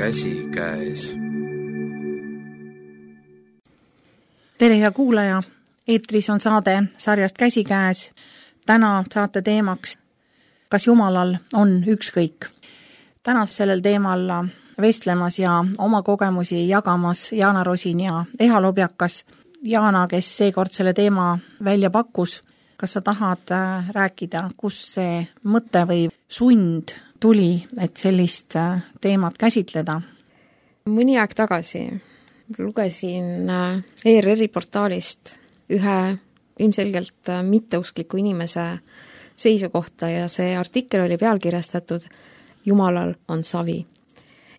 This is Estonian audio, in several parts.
käsikäes. Tere hea kuulaja, eetris on saade sarjast Käsikäes. Täna saate teemaks, kas Jumalal on ükskõik. Täna sellel teemal vestlemas ja oma kogemusi jagamas Jaana Rosin ja Eha Lobjakas. Jaana, kes seekord selle teema välja pakkus, kas sa tahad rääkida, kus see mõte või sund tuli, et sellist teemat käsitleda? Mõni aeg tagasi lugesin ERR-i portaalist ühe ilmselgelt mitteuskliku inimese seisukohta ja see artikkel oli pealkirjastatud Jumalal on savi.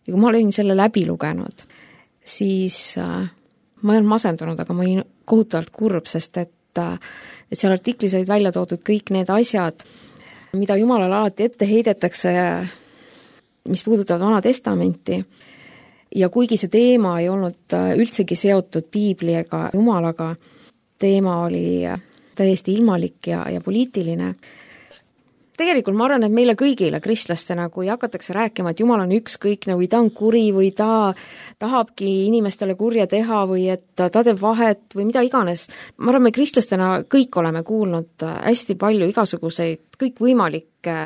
Ja kui ma olin selle läbi lugenud, siis ma ei olnud masendunud, aga ma olin kohutavalt kurb, sest et seal artiklis olid välja toodud kõik need asjad, mida Jumalale alati ette heidetakse, mis puudutavad Vana Testamenti. Ja kuigi see teema ei olnud üldsegi seotud Piibli ega Jumalaga, teema oli täiesti ilmalik ja poliitiline. Tegelikult ma arvan, et meile kõigile kristlastena, kui hakatakse rääkima, et Jumal on ükskõikne või ta on kuri või ta tahabki inimestele kurja teha või et ta teeb vahet või mida iganes. Ma arvan, me kristlastena kõik oleme kuulnud hästi palju igasuguseid, kõikvõimalikke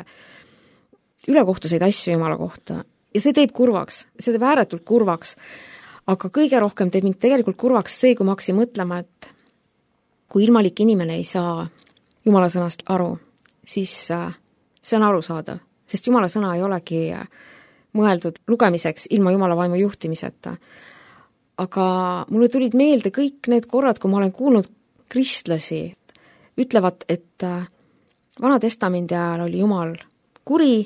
ülekohtuseid asju Jumala kohta. Ja see teeb kurvaks, see teeb ääretult kurvaks. Aga kõige rohkem teeb mind tegelikult kurvaks see, kui ma hakkasin mõtlema, et kui ilmalik inimene ei saa Jumala sõnast aru, siis see on arusaadav, sest Jumala sõna ei olegi mõeldud lugemiseks ilma Jumala vaimu juhtimiseta. Aga mulle tulid meelde kõik need korrad, kui ma olen kuulnud kristlasi, ütlevad, et Vana Testamendi ajal oli Jumal kuri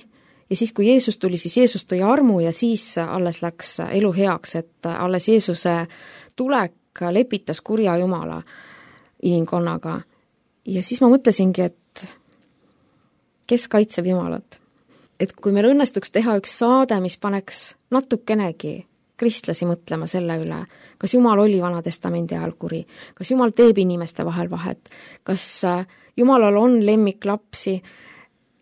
ja siis, kui Jeesus tuli, siis Jeesus tõi armu ja siis alles läks elu heaks, et alles Jeesuse tulek lepitas kurja Jumala inimkonnaga. Ja siis ma mõtlesingi, et kes kaitseb Jumalat? Et kui meil õnnestuks teha üks saade, mis paneks natukenegi kristlasi mõtlema selle üle, kas Jumal oli Vana Testamendi ajal kuri, kas Jumal teeb inimeste vahel vahet, kas Jumalal on lemmiklapsi,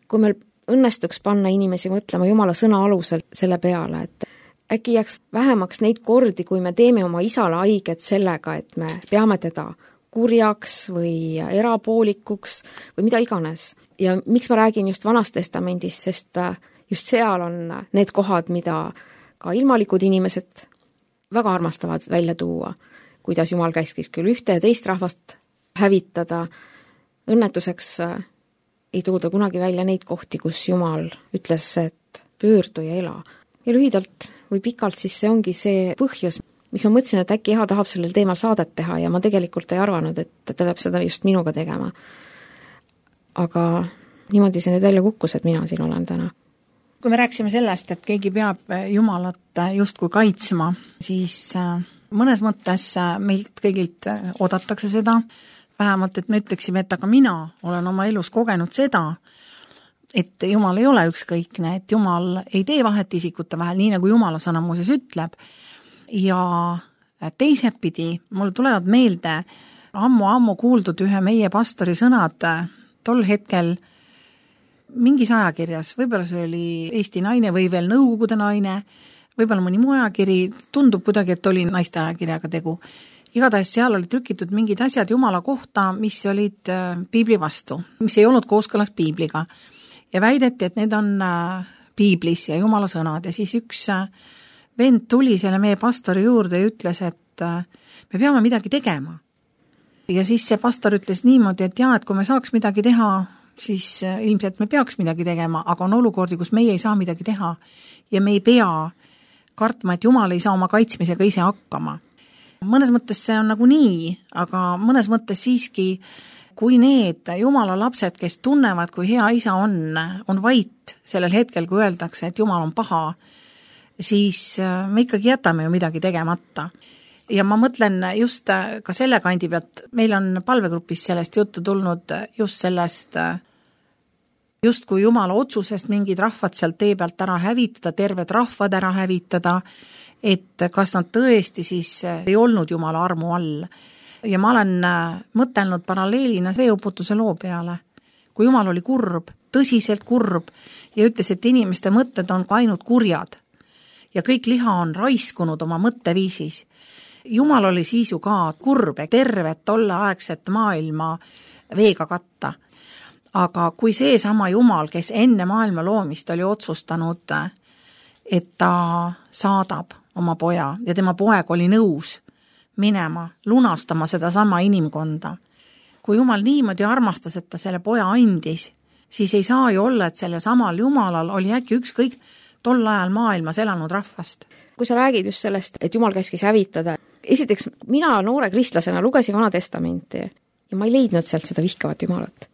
kui meil õnnestuks panna inimesi mõtlema Jumala sõna alusel selle peale, et äkki jääks vähemaks neid kordi, kui me teeme oma isale haiget sellega, et me peame teda kurjaks või erapoolikuks või mida iganes. Ja miks ma räägin just Vanast Testamendist, sest just seal on need kohad, mida ka ilmalikud inimesed väga armastavad välja tuua, kuidas Jumal käskis küll ühte ja teist rahvast hävitada. Õnnetuseks ei tooda kunagi välja neid kohti, kus Jumal ütles, et pöördu ja ela. Ja lühidalt või pikalt siis see ongi see põhjus, miks ma mõtlesin, et äkki Eha tahab sellel teemal saadet teha ja ma tegelikult ei arvanud, et ta peab seda just minuga tegema. Aga niimoodi see nüüd välja kukkus, et mina siin olen täna. Kui me rääksime sellest, et keegi peab Jumalat justkui kaitsma, siis mõnes mõttes meilt kõigilt oodatakse seda, vähemalt, et me ütleksime, et aga mina olen oma elus kogenud seda, et Jumal ei ole ükskõikne, et Jumal ei tee vahet isikute vahel, nii nagu Jumala sõna muuseas ütleb. Ja teisepidi mul tulevad meelde ammu kuuldud ühe meie pastori sõnad tol hetkel mingis ajakirjas, võib-olla see oli Eesti Naine või veel Nõukogude Naine, võib-olla mõni muu ajakiri, tundub kuidagi, et oli naiste ajakirjaga tegu. Igatahes seal oli trükitud mingid asjad Jumala kohta, mis olid Piibli vastu, mis ei olnud kooskõlas Piibliga. Ja väideti, et need on Piiblis ja Jumala sõnad. Ja siis üks vend tuli selle meie pastori juurde ja ütles, et me peame midagi tegema. Ja siis see pastor ütles niimoodi, et et kui me saaks midagi teha, siis ilmselt me peaks midagi tegema, aga on olukordi, kus meie ei saa midagi teha ja me ei pea kartma, et Jumal ei saa oma kaitsmisega ise hakkama. Mõnes mõttes see on nagu nii, aga mõnes mõttes siiski, kui need Jumala lapsed, kes tunnevad, kui hea isa on vait sellel hetkel, kui öeldakse, et Jumal on paha, siis me ikkagi jätame ju midagi tegemata. Ja ma mõtlen just ka selle kandi pealt, meil on palvegrupis sellest juttu tulnud just sellest, just kui Jumala otsusest mingid rahvad sealt tee pealt ära hävitada, terved rahvad ära hävitada, et kas nad tõesti siis ei olnud Jumala armu all. Ja ma olen mõtelnud paralleelina veeuputuse loo peale, kui Jumal oli kurb, tõsiselt kurb ja ütles, et inimeste mõtted on ainult kurjad. ja kõik liha on raiskunud oma mõtteviisis. Jumal oli siis ju ka kurb, tervet tolleaegset maailma veega katta. Aga kui seesama Jumal, kes enne maailma loomist oli otsustanud, et ta saadab oma poja ja tema poeg oli nõus minema, lunastama seda sama inimkonda. Kui Jumal niimoodi armastas, et ta selle poja andis, siis ei saa ju olla, et selle samal Jumalal oli äkki ükskõik tol ajal maailmas elanud rahvast. Kui sa räägid just sellest, et Jumal käskis hävitada, esiteks mina noore kristlasena lugesin Vana Testamenti ja ma ei leidnud sealt seda vihkavat Jumalat.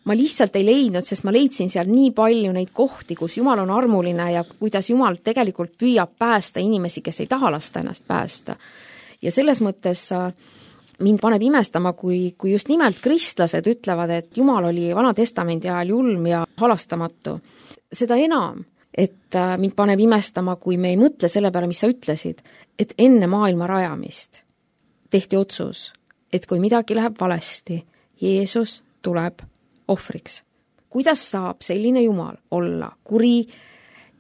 Ma lihtsalt ei leidnud, sest ma leidsin seal nii palju neid kohti, kus Jumal on armuline ja kuidas Jumal tegelikult püüab päästa inimesi, kes ei taha lasta ennast päästa. Ja selles mõttes mind paneb imestama, kui just nimelt kristlased ütlevad, et Jumal oli Vana Testamendi ajal julm ja halastamatu. Seda enam, et mind paneb imestama, kui me ei mõtle selle peale, mis sa ütlesid, et enne maailma rajamist tehti otsus, et kui midagi läheb valesti, Jeesus tuleb ohvriks. Kuidas saab selline Jumal olla kuri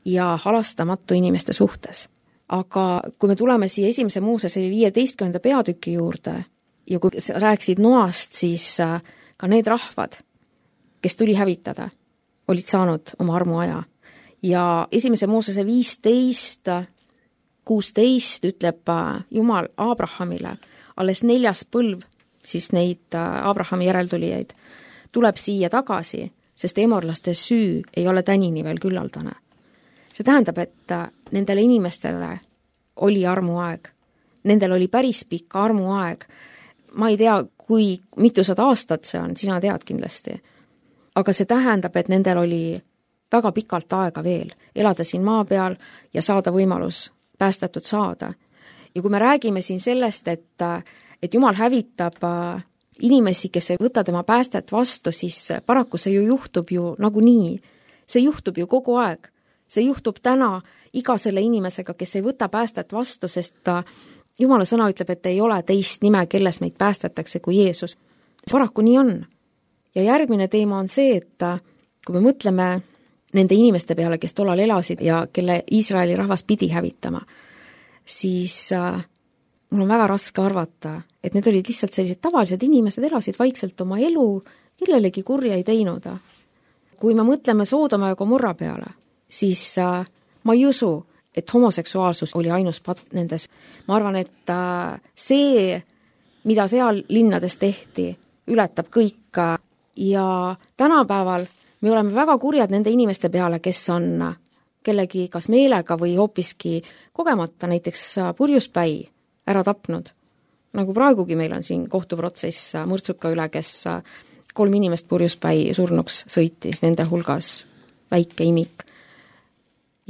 ja halastamatu inimeste suhtes? Aga kui me tuleme siia 1. Moosese 15. peatüki juurde ja kui rääkisid Noast, siis ka need rahvad, kes tuli hävitada, olid saanud oma armuaja. Ja 1. Moosese 15, 16 ütleb Jumal Abrahamile, alles 4. põlv, siis neid Abrahami järeltulijaid, tuleb siia tagasi, sest emorlaste süü ei ole tänini veel küllaldane. See tähendab, et nendele inimestele oli armuaeg. Nendel oli päris pikk armuaeg. Ma ei tea, kui mitusada aastat see on, sina tead kindlasti. Aga see tähendab, et nendel oli väga pikalt aega veel elada siin maa peal ja saada võimalus päästetud saada. Ja kui me räägime siin sellest, et Jumal hävitab inimesi, kes ei võta tema päästet vastu, siis paraku see ju juhtub ju nagunii. See juhtub ju kogu aeg. See juhtub täna iga selle inimesega, kes ei võta päästet vastu, sest Jumala sõna ütleb, et ei ole teist nime, kelles meid päästetakse kui Jeesus. Paraku nii on. Ja järgmine teema on see, et kui me mõtleme nende inimeste peale, kes tollal elasid ja kelle Iisraeli rahvas pidi hävitama, siis mul on väga raske arvata, et need olid lihtsalt sellised tavalised inimesed, elasid vaikselt oma elu, kellelegi kurja ei teinud. Kui me mõtleme Soodoma ja Gomorra peale, siis ma ei usu, et homoseksuaalsus oli ainus patt nendes. Ma arvan, et see, mida seal linnades tehti, ületab kõik. Ja tänapäeval me oleme väga kurjad nende inimeste peale, kes on kellegi kas meelega või hoopiski kogemata näiteks purjuspäi ära tapnud. Nagu praegugi meil on siin kohtuprotsess mõrtsuka üle, kes 3 inimest purjuspäi surnuks sõitis, nende hulgas väike imik.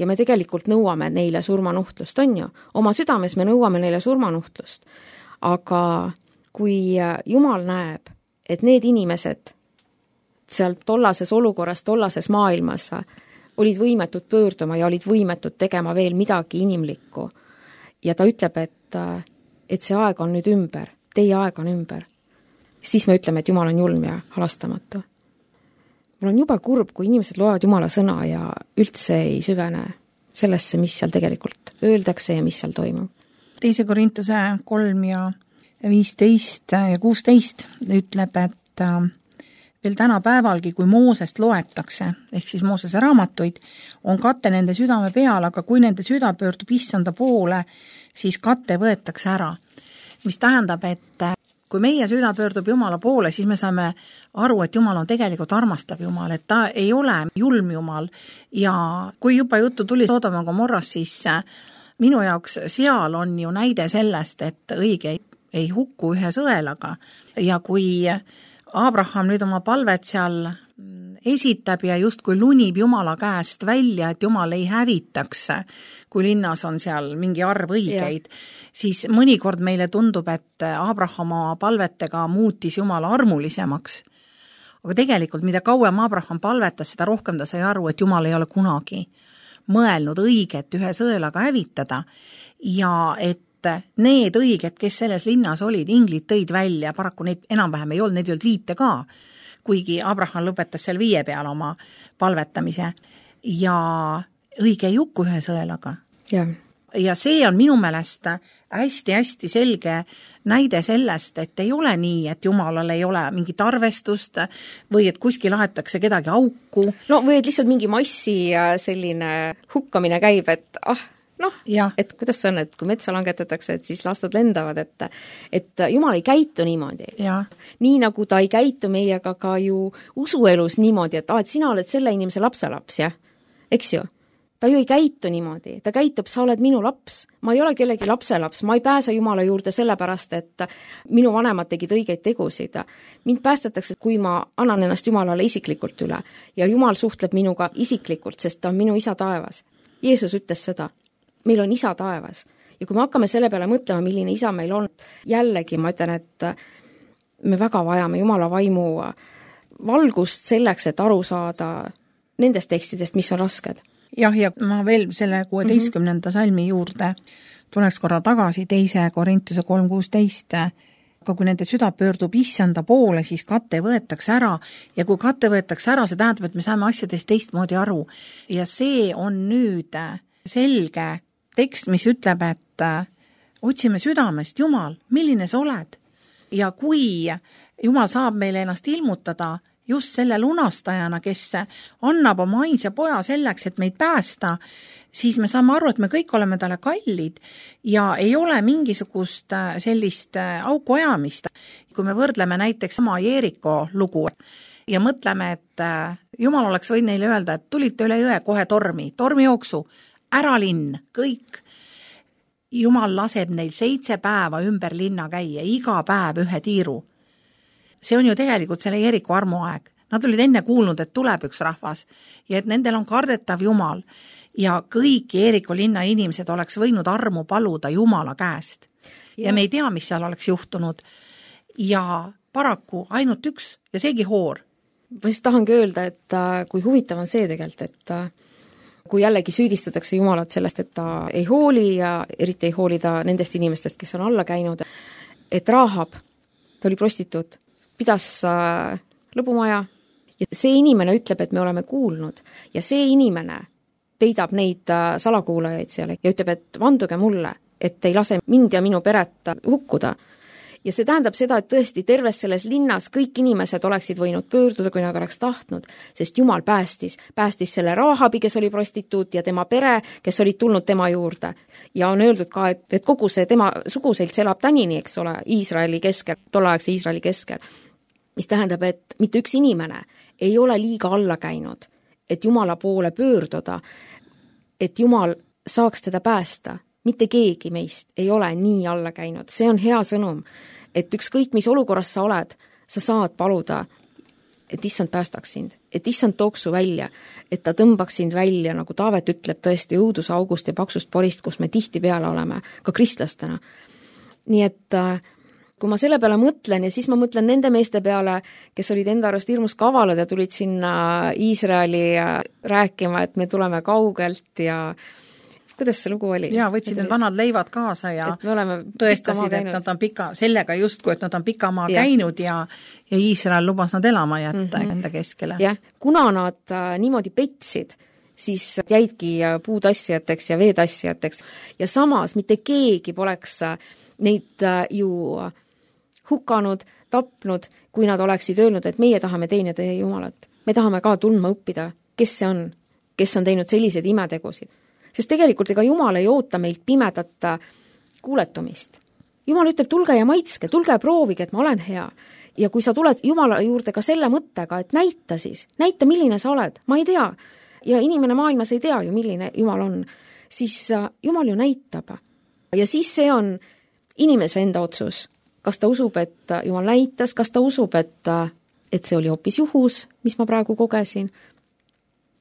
Ja me tegelikult nõuame neile surmanuhtlust, on ju. Oma südames me nõuame neile surmanuhtlust. Aga kui Jumal näeb, et need inimesed seal tollases olukorras, tollases maailmas olid võimetud pöörduma ja olid võimetud tegema veel midagi inimlikku. Ja ta ütleb, et see aeg on nüüd ümber, teie aeg on ümber. Siis me ütleme, et Jumal on julm ja halastamatu. Mul on juba kurb, kui inimesed loevad Jumala sõna ja üldse ei süvene sellesse, mis seal tegelikult öeldakse ja mis seal toimub. 2. Korintuse 3 ja 15 ja 16 ütleb, et veel tänapäevalgi, kui Moosest loetakse, ehk siis Moosese raamatuid, on kate nende südame peal, aga kui nende süda pöördub issanda poole, siis kate võetakse ära. Mis tähendab, et kui meie süda pöördub Jumala poole, siis me saame aru, et Jumal on tegelikult armastav Jumal, et ta ei ole julm Jumal. Ja kui juba juttu tuli Soodoma Gomorras, siis minu jaoks seal on ju näide sellest, et õige ei hukku ühe sõelaga. Ja kui Abraham nüüd oma palvet seal esitab ja justkui lunib Jumala käest välja, et Jumal ei hävitaks, kui linnas on seal mingi arv õigeid, siis mõnikord meile tundub, et Abraham oma palvetega muutis Jumala armulisemaks. Aga tegelikult, mida kauem Abraham palvetas, seda rohkem ta sai aru, et Jumal ei ole kunagi mõelnud õiget ühe sõelaga hävitada ja et need õiged, kes selles linnas olid, inglid tõid välja, paraku neid enam-vähem ei olnud, neid ei olnud 5 ka, kuigi Abraham lõpetas seal 5 peal oma palvetamise ja õige ei hukku ühe sõelaga. Jah, ja see on minu meelest hästi-hästi selge näide sellest, et ei ole nii, et Jumalal ei ole mingit arvestust või et kuskil aetakse kedagi auku. No või et lihtsalt mingi massi selline hukkamine käib, et et kuidas see on, et kui metsa langetatakse, et siis lastud lendavad, et Jumal ei käitu niimoodi. Nii nagu ta ei käitu meiega ka ju usuelus niimoodi, et sina oled selle inimese lapselaps, jah, eks ju? Ta ju ei käitu niimoodi, ta käitub, sa oled minu laps, ma ei ole kellegi lapselaps, ma ei pääse Jumala juurde sellepärast, et minu vanemad tegid õigeid tegusid. Mind päästetakse, kui ma annan ennast Jumalale isiklikult üle ja Jumal suhtleb minuga isiklikult, sest ta on minu isa taevas. Jeesus ütles seda, meil on isa taevas ja kui me hakkame selle peale mõtlema, milline isa meil on, jällegi ma ütlen, et me väga vajame Jumala vaimu valgust selleks, et aru saada nendest tekstidest, mis on rasked. Jah, ja ma veel selle 16. salmi juurde tuleks korra tagasi 2. Korintuse 3.16, aga kui nende süda pöördub issanda poole, siis kate võetakse ära ja kui kate võetakse ära, see tähendab, et me saame asjadest teistmoodi aru. Ja see on nüüd selge tekst, mis ütleb, et otsime südamest, Jumal, milline sa oled? Ja kui Jumal saab meile ennast ilmutada just selle lunastajana, kes annab oma ainsa poja selleks, et meid päästa, siis me saame aru, et me kõik oleme talle kallid ja ei ole mingisugust sellist auku ajamist. Kui me võrdleme näiteks sama Jeeriko lugu ja mõtleme, et Jumal oleks võinud neile öelda, et tulite üle jõe kohe tormijooksu, ära linn, kõik. Jumal laseb neil 7 päeva ümber linna käia, iga päev ühe tiiru. See on ju tegelikult selle Jeeriku armuaeg. Nad olid enne kuulnud, et tuleb üks rahvas ja et nendel on kardetav Jumal ja kõik Jeeriku linna inimesed oleks võinud armu paluda Jumala käest. Ja me ei tea, mis seal oleks juhtunud. Ja paraku ainult üks ja seegi hoor. Ma just tahangi öelda, et kui huvitav on see tegelikult, et kui jällegi süüdistatakse Jumalat sellest, et ta ei hooli ja eriti ei hooli ta nendest inimestest, kes on alla käinud, et Rahab, ta oli prostituut, pidas lõbumaja ja see inimene ütleb, et me oleme kuulnud ja see inimene peidab neid salakuulajaid seal ja ütleb, et vanduge mulle, et ei lase mind ja minu peret hukkuda. Ja see tähendab seda, et tõesti terves selles linnas kõik inimesed oleksid võinud pöörduda, kui nad oleks tahtnud, sest Jumal päästis selle Rahabi, kes oli prostituut ja tema pere, kes olid tulnud tema juurde. Ja on öeldud ka, et kogu see tema suguselt elab tänini, eks ole, Iisraeli keskel, tolleaegse Iisraeli keskel. Mis tähendab, et mitte üks inimene ei ole liiga alla käinud, et Jumala poole pöörduda, et Jumal saaks teda päästa. Mitte keegi meist ei ole nii alla käinud. See on hea sõnum, et ükskõik mis olukorras sa oled, sa saad paluda, et issand päästaks sind, et issand tooks su välja, et ta tõmbaks sind välja, nagu Taavet ütleb tõesti õudusaugust ja paksust porist, kus me tihti peale oleme, ka kristlastena. Nii et kui ma selle peale mõtlen ja siis ma mõtlen nende meeste peale, kes olid enda arust hirmus kavalad ja tulid sinna Iisraeli rääkima, et me tuleme kaugelt ja kuidas see lugu oli? Jaa, võtsid need vanad leivad kaasa ja tõestasid, et nad on sellega justkui, et nad on pikamaa käinud ja Iisrael lubas nad elama jätta enda keskele. Jah, kuna nad niimoodi petsid, siis jäidki puutassijateks ja veetassijateks ja samas mitte keegi poleks neid ju hukanud, tapnud, kui nad oleksid öelnud, et meie tahame teenida Jumalat. Me tahame ka tundma õppida, kes see on, kes on teinud sellised imetegusid. Sest tegelikult ega Jumal ei oota meilt pimedat kuuletumist. Jumal ütleb, tulge ja maitske, tulge ja proovige, et ma olen hea. Ja kui sa tuled Jumala juurde ka selle mõttega, et näita siis, näita, milline sa oled, ma ei tea. Ja inimene maailmas ei tea ju, milline Jumal on. Siis Jumal ju näitab. Ja siis see on inimese enda otsus. Kas ta usub, et Jumal näitas, kas ta usub, et see oli hoopis juhus, mis ma praegu kogesin.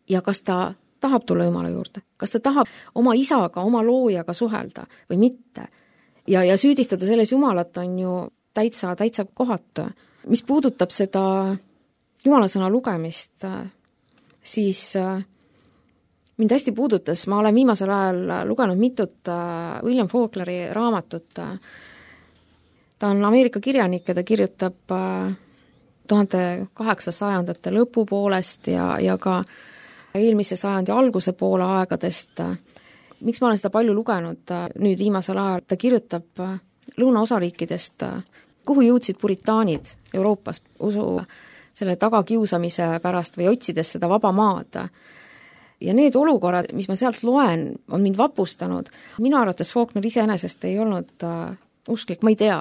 Ja kas ta tahab tulla Jumala juurde, kas ta tahab oma isaga, oma loojaga suhelda või mitte. Ja süüdistada selles Jumalat on ju täitsa kohatu. Mis puudutab seda Jumala sõna lugemist, siis mind hästi puudutas, ma olen viimasel ajal lugenud mitut William Faulkneri raamatut. Ta on Ameerika kirjanik ja ta kirjutab 1800-ndate lõpupoolest ja ka eelmise sajandi alguse poole aegadest miks ma olen seda palju lugenud nüüd viimasel ajal, ta kirjutab lõunaosariikidest, kuhu jõudsid puritaanid Euroopas usu selle tagakiusamise pärast või otsides seda vaba maad. Ja need olukorrad, mis ma sealt loen, on mind vapustanud. Minu arvates Faulkner iseenesest ei olnud usklik, ma ei tea,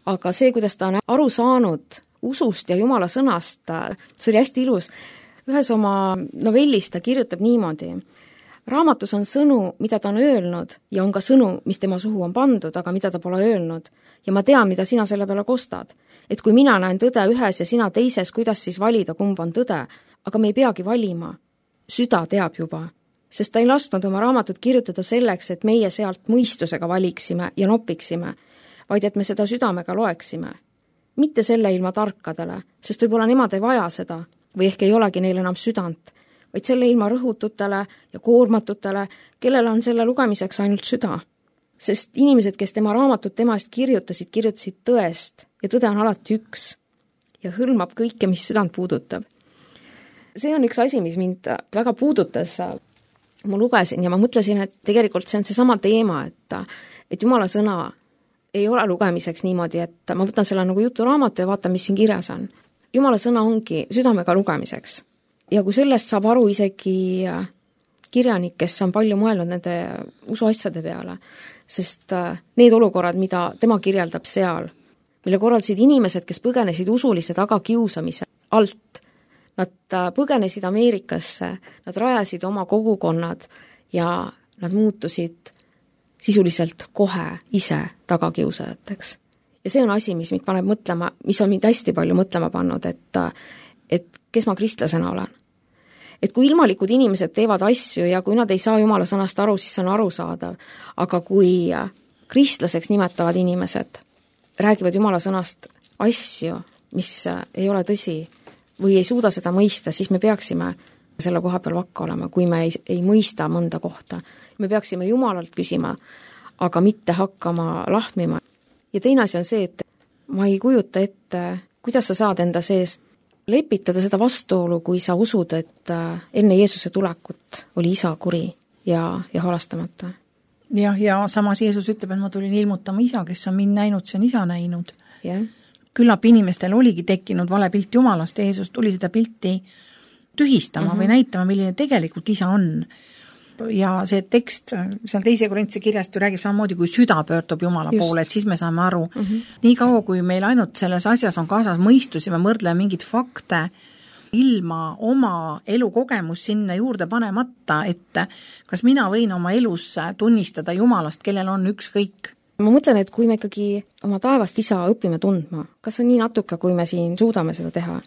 aga see, kuidas ta on aru saanud usust ja Jumala sõnast, see oli hästi ilus. Ühes oma novellis ta kirjutab niimoodi: raamatus on sõnu, mida ta on öelnud ja on ka sõnu, mis tema suhu on pandud, aga mida ta pole öelnud. Ja ma tean, mida sina selle peale kostad. Et kui mina näen tõde ühes ja sina teises, kuidas siis valida, kumb on tõde? Aga me ei peagi valima. Süda teab juba, sest ta ei lasknud oma raamatut kirjutada selleks, et meie sealt mõistusega valiksime ja nopiksime, vaid et me seda südamega loeksime. Mitte selle ilma tarkadele, sest võib-olla nemad ei vaja seda või ehk ei olegi neil enam südant, vaid selle ilma rõhututele ja koormatutele, kellel on selle lugemiseks ainult süda. Sest inimesed, kes tema raamatut tema eest kirjutasid tõest ja tõde on alati üks ja hõlmab kõike, mis südant puudutab. See on üks asi, mis mind väga puudutas. Ma lugesin ja ma mõtlesin, et tegelikult see on seesama teema, et Jumala sõna ei ole lugemiseks niimoodi, et ma võtan selle nagu juturaamatu ja vaatan, mis siin kirjas on. Jumala sõna ongi südamega lugemiseks. Ja kui sellest saab aru isegi kirjanik, kes on palju mõelnud nende usuasjade peale, sest need olukorrad, mida tema kirjeldab seal, mille korraldasid inimesed, kes põgenesid usulise tagakiusamise alt, nad põgenesid Ameerikasse, nad rajasid oma kogukonnad ja nad muutusid sisuliselt kohe ise tagakiusajateks. Ja see on asi, mis mind paneb mõtlema, mis on mind hästi palju mõtlema pannud, et kes ma kristlasena olen. Et kui ilmalikud inimesed teevad asju ja kui nad ei saa Jumala sõnast aru, siis see on arusaadav. Aga kui kristlaseks nimetavad inimesed räägivad Jumala sõnast asju, mis ei ole tõsi, või ei suuda seda mõista, siis me peaksime selle koha peal vakka olema, kui me ei mõista mõnda kohta. Me peaksime Jumalalt küsima, aga mitte hakkama lahmima. Ja teine asi on see, et ma ei kujuta ette, kuidas sa saad enda sees lepitada seda vastuolu, kui sa usud, et enne Jeesuse tulekut oli isa kuri ja halastamata. Ja samas Jeesus ütleb, et ma tulin ilmutama isa, kes on mind näinud, see on isa näinud. Jah. Küllap inimestel oligi tekkinud vale pilt Jumalast ja Jeesus tuli seda pilti tühistama või näitama, milline tegelikult isa on. Ja see tekst seal 2. Korintuse kirjast ju räägib samamoodi, kui süda pöördub Jumala poole, et siis me saame aru. Nii kaua, kui meil ainult selles asjas on kaasas mõistus ja me mõrdleme mingid fakte ilma oma elukogemus sinna juurde panemata, et kas mina võin oma elus tunnistada Jumalast, kellel on ükskõik. Ma mõtlen, et kui me ikkagi oma taevast isa õpime tundma, kas on nii natuke, kui me siin suudame seda teha,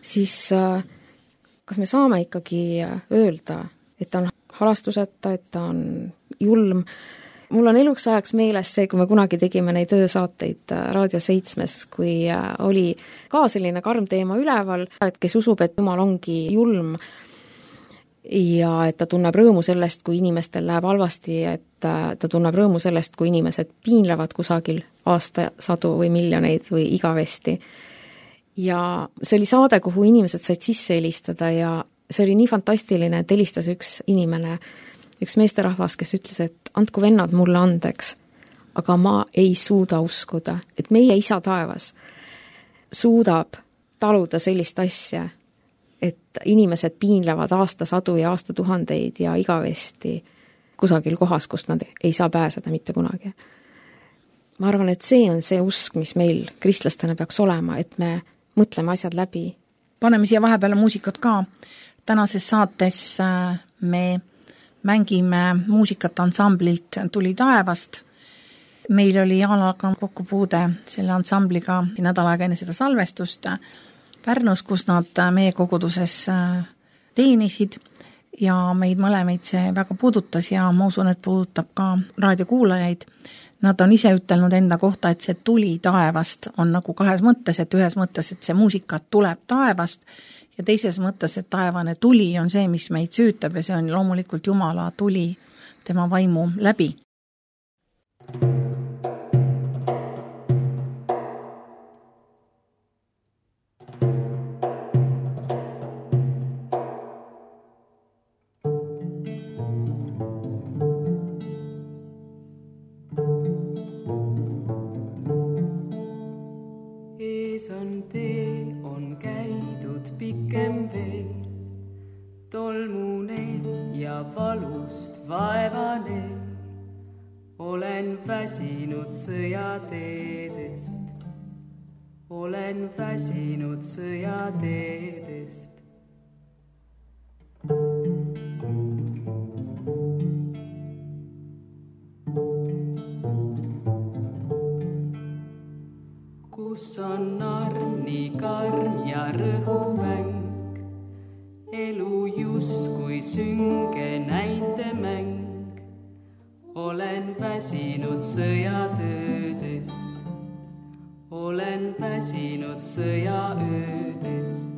siis kas me saame ikkagi öelda, et ta on halastuseta, et ta on julm. Mul on eluks ajaks meeles see, kui me kunagi tegime neid öösaateid Raadio 7, kui oli ka selline karm teema üleval, et kes usub, et Jumal ongi julm ja et ta tunneb rõõmu sellest, kui inimestel läheb halvasti, et ta tunneb rõõmu sellest, kui inimesed piinlevad kusagil aastasadu või miljoneid või igavesti. Ja see oli saade, kuhu inimesed said sisse helistada ja see oli nii fantastiline, et helistas üks inimene, üks meesterahvas, kes ütles, et andku vennad mulle andeks, aga ma ei suuda uskuda, et meie isa taevas suudab taluda sellist asja, et inimesed piinlevad aastasadu ja aastatuhandeid ja igavesti kusagil kohas, kust nad ei saa pääseda mitte kunagi. Ma arvan, et see on see usk, mis meil kristlastena peaks olema, et me mõtleme asjad läbi. Paneme siia vahepeale muusikat ka. Tänases saates me mängime muusikat ansamblilt Tuli taevast. Meil oli Jaanaga kokkupuude selle ansambliga nädal aega enne seda salvestust Pärnus, kus nad meie koguduses teenisid ja meid mõlemaid see väga puudutas ja ma usun, et puudutab ka raadiokuulajaid. Nad on ise ütelnud enda kohta, et see tuli taevast on nagu kahes mõttes, et ühes mõttes, et see muusika tuleb taevast ja teises mõttes, et taevane tuli on see, mis meid süütab ja see on loomulikult Jumala tuli tema vaimu läbi. ja valust vaevane, olen väsinud sõjateedest, olen väsinud sõjateedest. Kus on arm nii karm ja rõhumäng, elu just kui sünge näitemäng, olen väsinud sõjatöödest, olen väsinud sõjaöödest.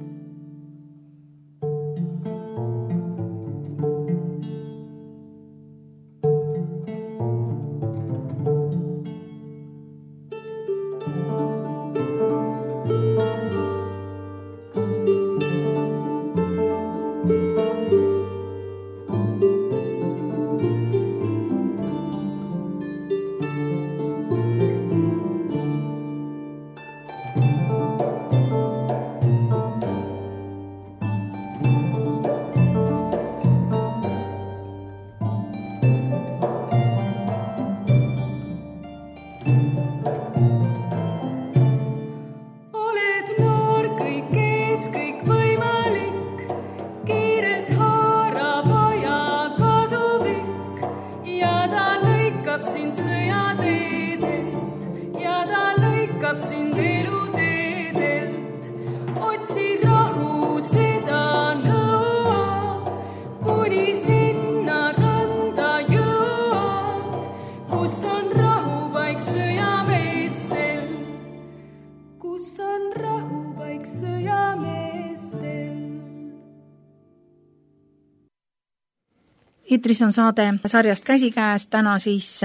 Eetris on saade sarjast Käsikäes, täna siis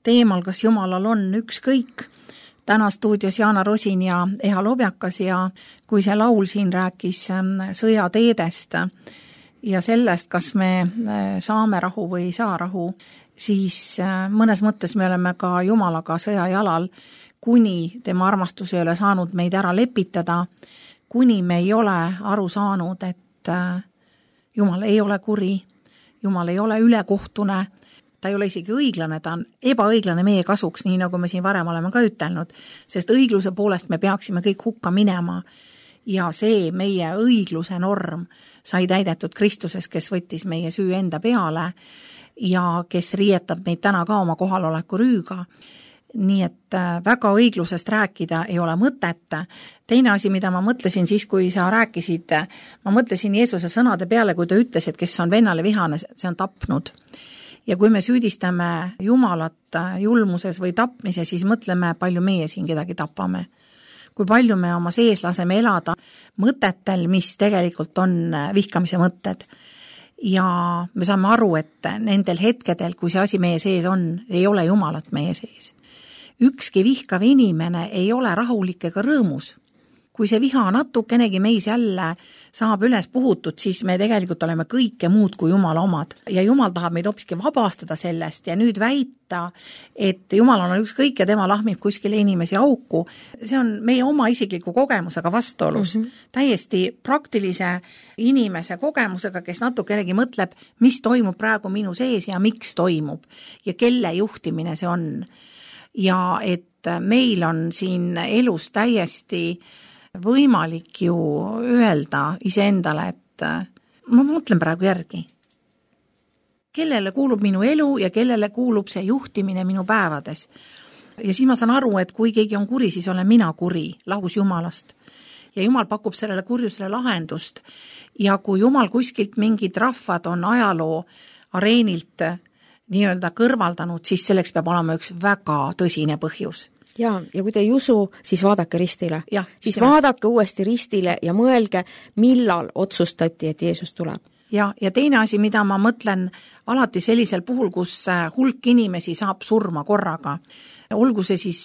teemal, kas Jumalal on ükskõik. Täna stuudios Jaana Rosin ja Eha Lobjakas ja kui see laul siin rääkis sõjateedest ja sellest, kas me saame rahu või ei saa rahu, siis mõnes mõttes me oleme ka Jumalaga sõjajalal, kuni tema armastus ei ole saanud meid ära lepitada, kuni me ei ole aru saanud, et Jumal ei ole kuri, Jumal ei ole ülekohtune, ta ei ole isegi õiglane, ta on ebaõiglane meie kasuks, nii nagu me siin varem oleme ka ütelnud, sest õigluse poolest me peaksime kõik hukka minema ja see meie õigluse norm sai täidetud Kristuses, kes võttis meie süü enda peale ja kes riietab meid täna ka oma kohaloleku rüüga. Nii et väga õiglusest rääkida ei ole mõtet. Teine asi, mida ma mõtlesin siis, kui sa rääkisid, ma mõtlesin Jeesuse sõnade peale, kui ta ütles, et kes on vennale vihane, see on tapnud. Ja kui me süüdistame Jumalat julmuses või tapmises, siis mõtleme, palju meie siin kedagi tapame. Kui palju me oma sees laseme elada mõtetel, mis tegelikult on vihkamise mõtted. Ja me saame aru, et nendel hetkedel, kui see asi meie sees on, ei ole Jumalat meie sees. Ükski vihkav inimene ei ole rahulik ega rõõmus. Kui see viha natukenegi meis jälle saab üles puhutud, siis me tegelikult oleme kõike muud kui Jumala omad. Ja Jumal tahab meid hoopiski vabastada sellest ja nüüd väita, et Jumal on ükskõik ja tema lahmib kuskile inimesi auku. See on meie oma isikliku kogemusega vastuolus. Täiesti praktilise inimese kogemusega, kes natukenegi mõtleb, mis toimub praegu minu sees ja miks toimub ja kelle juhtimine see on. Ja et meil on siin elus täiesti võimalik ju öelda iseendale, et ma mõtlen praegu järgi. Kellele kuulub minu elu ja kellele kuulub see juhtimine minu päevades. Ja siis ma saan aru, et kui keegi on kuri, siis olen mina kuri, lahus Jumalast. Ja Jumal pakub sellele kurjusele lahendust. Ja kui Jumal kuskilt mingid rahvad on ajaloo areenilt nii-öelda kõrvaldanud, siis selleks peab olema üks väga tõsine põhjus. Ja kui te ei usu, siis vaadake ristile. Ja, siis vaadake uuesti ristile ja mõelge, millal otsustati, et Jeesus tuleb. Ja teine asi, mida ma mõtlen alati sellisel puhul, kus hulk inimesi saab surma korraga. Olgu see siis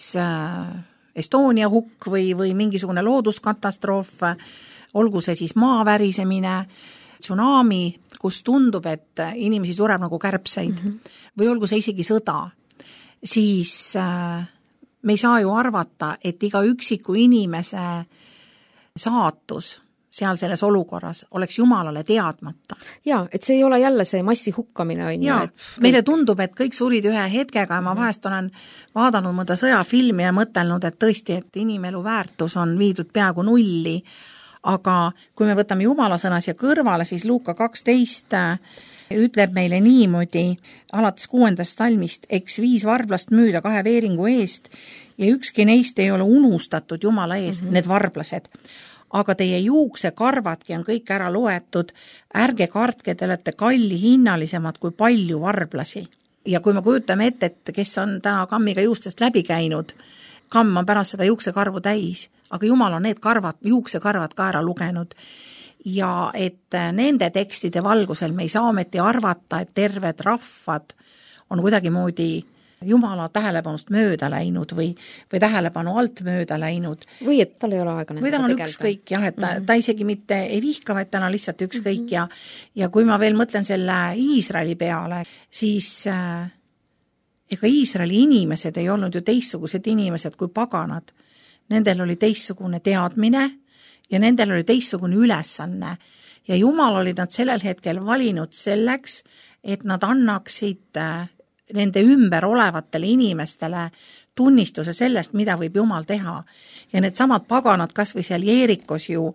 Estonia hukk või mingisugune looduskatastroof, olgu see siis maavärisemine, tsunami, kus tundub, et inimesi sureb nagu kärbseid või olgu see isegi sõda, siis me ei saa ju arvata, et iga üksiku inimese saatus seal selles olukorras oleks Jumalale teadmata. Jaa, et see ei ole jälle see massi hukkamine, on ju. Meile tundub, et kõik surid ühe hetkega ja ma vahest olen vaadanud mõnda sõjafilmi ja mõtelnud, et tõesti, et inimelu väärtus on viidud peaaegu nulli, aga kui me võtame Jumala sõna siia kõrvale, siis Luuka 12 ütleb meile niimoodi, alates 6. salmist, eks 5 varblast müüda 2 veeringu eest ja ükski neist ei ole unustatud Jumala ees, need varblased. Aga teie juuksekarvadki on kõik ära loetud, ärge kartke, te olete kalli hinnalisemad kui palju varblasi. Ja kui me kujutame ette, et kes on täna kammiga juustest läbi käinud, kamm on pärast seda juuksekarvu täis, aga Jumal on need juuksekarvad ka ära lugenud. Ja et nende tekstide valgusel me ei saa ometi arvata, et terved rahvad on kuidagimoodi Jumala tähelepanust mööda läinud või tähelepanu alt mööda läinud. Või et tal ei ole aega nendega tegelda. Või ta on ükskõik, jah, et ta isegi mitte ei vihka, vaid ta on lihtsalt ükskõik ja kui ma veel mõtlen selle Iisraeli peale, siis ega Iisraeli inimesed ei olnud ju teistsugused inimesed kui paganad. Nendel oli teistsugune teadmine ja nendel oli teistsugune ülesanne ja Jumal oli nad sellel hetkel valinud selleks, et nad annaksid nende ümber olevatele inimestele tunnistuse sellest, mida võib Jumal teha. Ja need samad paganad kas või seal Jeerikos ju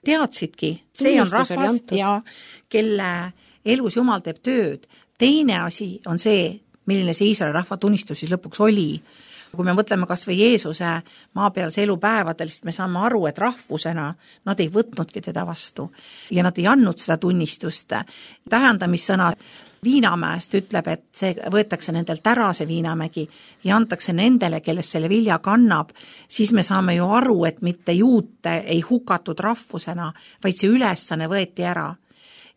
teadsidki, see on rahvas ja kelle elus Jumal teeb tööd. Teine asi on see, milline see Iisraeli rahva tunnistus siis lõpuks oli. Kui me mõtleme kas või Jeesuse maapealse elupäevadel, siis me saame aru, et rahvusena nad ei võtnudki teda vastu ja nad ei andnud seda tunnistust. Tähendamissõna Viinamäest ütleb, et see võetakse nendelt ära see viinamägi ja antakse nendele, kellest selle vilja kannab, siis me saame ju aru, et mitte juute ei hukatud rahvusena, vaid see ülesanne võeti ära.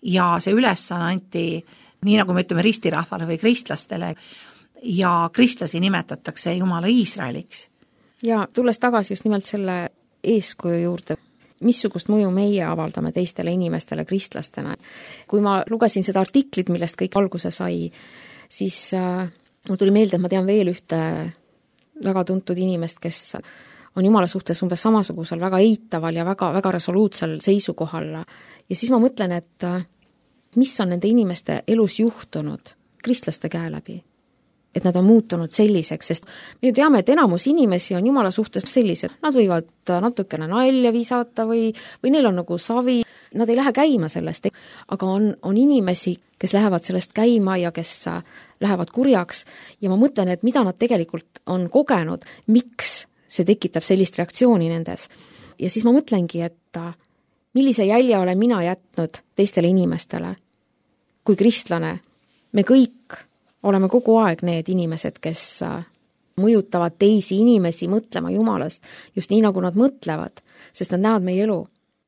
Ja see ülesanne anti, nii nagu me ütleme ristirahvale või kristlastele, ja kristlasi nimetatakse Jumala Iisraeliks. Ja tulles tagasi just nimelt selle eeskuju juurde, missugust mõju meie avaldame teistele inimestele kristlastena. Kui ma lugesin seda artiklit, millest kõik alguse sai, siis mul tuli meelde, et ma tean veel ühte väga tuntud inimest, kes on Jumala suhtes umbes samasugusel väga eitaval ja väga, väga resoluutsel seisukohal. Ja siis ma mõtlen, et mis on nende inimeste elus juhtunud kristlaste käe läbi. Et nad on muutunud selliseks, sest me ju teame, et enamus inimesi on Jumala suhtes sellised, nad võivad natukene nalja visata või neil on nagu savi, nad ei lähe käima sellest, aga on inimesi, kes lähevad sellest käima ja kes lähevad kurjaks ja ma mõtlen, et mida nad tegelikult on kogenud, miks see tekitab sellist reaktsiooni nendes. Ja siis ma mõtlengi, et millise jälje olen mina jätnud teistele inimestele. Kui kristlane, me kõik oleme kogu aeg need inimesed, kes mõjutavad teisi inimesi mõtlema Jumalast, just nii, nagu nad mõtlevad, sest nad näevad meie elu.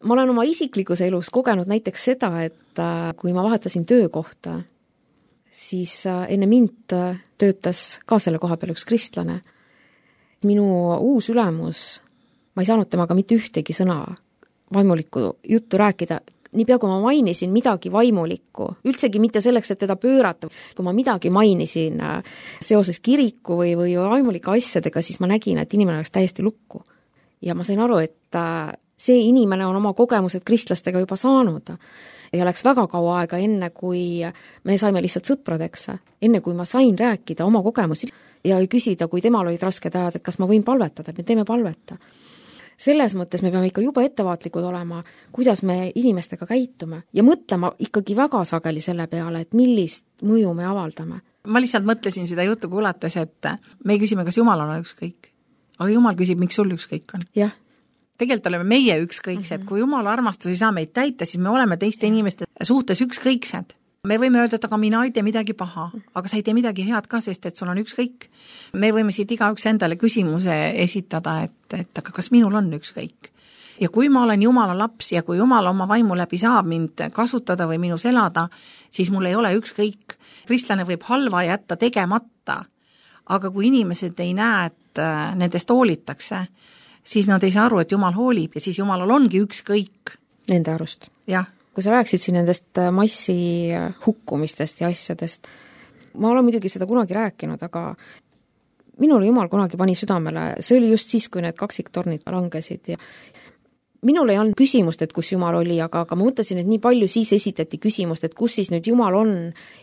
Ma olen oma isiklikus elus kogenud näiteks seda, et kui ma vahetasin töökohta, siis enne mind töötas ka selle koha peal üks kristlane. Minu uus ülemus, ma ei saanud temaga mitte ühtegi sõna vaimulikku juttu rääkida, niipea kui ma mainisin midagi vaimulikku, üldsegi mitte selleks, et teda pöörata, kui ma midagi mainisin seoses kiriku või vaimulike asjadega, siis ma nägin, et inimene oleks täiesti lukku. Ja ma sain aru, et see inimene on oma kogemused kristlastega juba saanud ja läks väga kaua aega enne, kui me saime lihtsalt sõpradeks, enne kui ma sain rääkida oma kogemusi ja küsida, kui temal olid rasked ajad, et kas ma võin palvetada, et me teeme palveta. Selles mõttes me peame ikka juba ettevaatlikud olema, kuidas me inimestega käitume ja mõtlema ikkagi väga sageli selle peale, et millist mõju me avaldame. Ma lihtsalt mõtlesin seda juttu kuulates, et me küsime, kas Jumal on ükskõik. Aga Jumal küsib, miks sul ükskõik on. Jah. Tegelikult oleme meie ükskõiksed. Kui Jumala armastus ei saa meid täita, siis me oleme teiste inimeste suhtes ükskõiksed. Me võime öelda, et aga mina ei tee midagi paha, aga sa ei tee midagi head ka, sest et sul on ükskõik. Me võime siit igaüks endale küsimuse esitada, et aga kas minul on ükskõik. Ja kui ma olen Jumala laps ja kui Jumal oma vaimu läbi saab mind kasutada või minus elada, siis mul ei ole ükskõik. Kristlane võib halva jätta tegemata, aga kui inimesed ei näe, et nendest hoolitakse, siis nad ei saa aru, et Jumal hoolib ja siis Jumalal ongi ükskõik. Nende arust. Jah. Kui sa rääksid siin nendest massi hukkumistest ja asjadest, ma olen muidugi seda kunagi rääkinud, aga minule Jumal kunagi pani südamele, see oli just siis, kui need kaksiktornid langesid ja minul ei olnud küsimust, et kus Jumal oli, aga ma mõtlesin, et nii palju siis esitati küsimust, et kus siis nüüd Jumal on.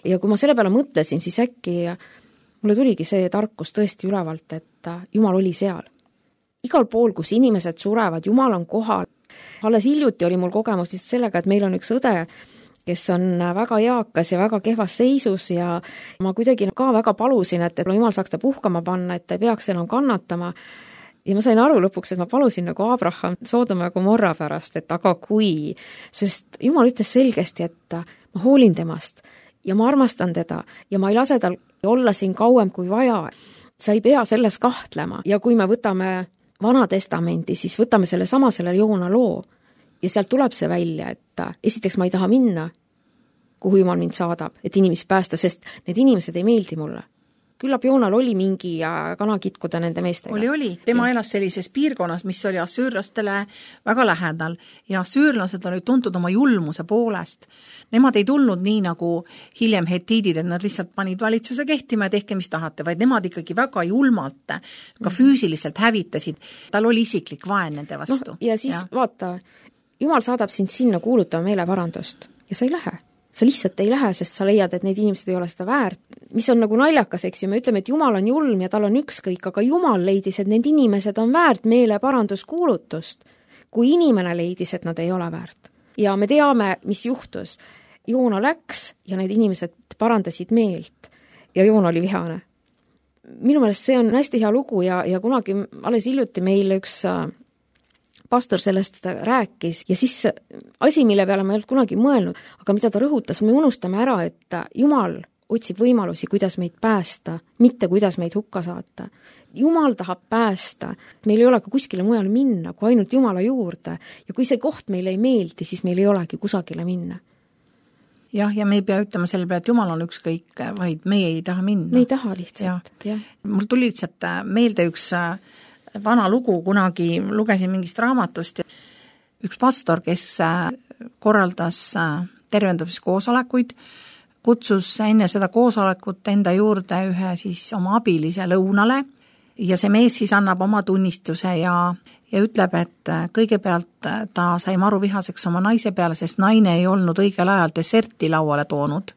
Ja kui ma selle peale mõtlesin, siis äkki mulle tuligi see tarkus tõesti ülevalt, et Jumal oli seal. Igal pool, kus inimesed surevad, Jumal on kohal. Alles hiljuti oli mul kogemus sellega, et meil on üks õde, kes on väga eakas ja väga kehvas seisus ja ma kuidagi ka väga palusin, et Jumal saaks ta puhkama panna, et ta ei peaks enam kannatama. Ja ma sain aru lõpuks, et ma palusin nagu Abraham Soodoma ja Gomorra pärast, et aga kui, sest Jumal ütles selgesti, et ma hoolin temast ja ma armastan teda ja ma ei lase tal olla siin kauem kui vaja. Sa ei pea selles kahtlema ja kui me võtame Vana Testamendi, siis võtame selle Joona loo ja sealt tuleb see välja, et esiteks ma ei taha minna, kuhu Jumal mind saadab, et inimesi päästa, sest need inimesed ei meeldi mulle. Küllap Joonal oli mingi kanakitkuda nende meestega. Oli. Tema elas sellises piirkonnas, mis oli assüürlastele väga lähedal ja assüürlased olid tuntud oma julmuse poolest. Nemad ei tulnud nii nagu hiljem hetiidid, et nad lihtsalt panid valitsuse kehtima ja tehke, mis tahate, vaid nemad ikkagi väga julmalt, ka füüsiliselt hävitasid. Tal oli isiklik vaen nende vastu. Ja siis vaata, Jumal saadab sind sinna kuulutama meeleparandust ja sa ei lähe. Sa lihtsalt ei lähe, sest sa leiad, et need inimesed ei ole seda väärt. Mis on nagu naljakas, eks ju, me ütleme, et Jumal on julm ja tal on ükskõik, aga Jumal leidis, et need inimesed on väärt meeleparanduskuulutust, kui inimene leidis, et nad ei ole väärt. Ja me teame, mis juhtus. Joona läks ja need inimesed parandasid meelt ja Joona oli vihane. Minu meelest see on hästi hea lugu ja kunagi alles hiljuti meil üks pastor sellest rääkis ja siis asi, mille peale ma ei olnud kunagi mõelnud, aga mida ta rõhutas, me unustame ära, et Jumal otsib võimalusi, kuidas meid päästa, mitte kuidas meid hukka saata. Jumal tahab päästa, meil ei ole ka kuskile mujale minna, kui ainult Jumala juurde ja kui see koht meile ei meeldi, siis meil ei olegi kusagile minna. Jah, ja me ei pea ütlema selle peale, et Jumal on ükskõik, vaid meie ei taha minna. Me ei taha lihtsalt. Ja. Mul tuli lihtsalt meelde üks vana lugu, kunagi lugesin mingist raamatust. Üks pastor, kes korraldas tervendumiskoosolekuid, kutsus enne seda koosolekut enda juurde ühe siis oma abilise lõunale ja see mees siis annab oma tunnistuse ja ütleb, et kõigepealt ta sai maruvihaseks oma naise peale, sest naine ei olnud õigel ajal deserti lauale toonud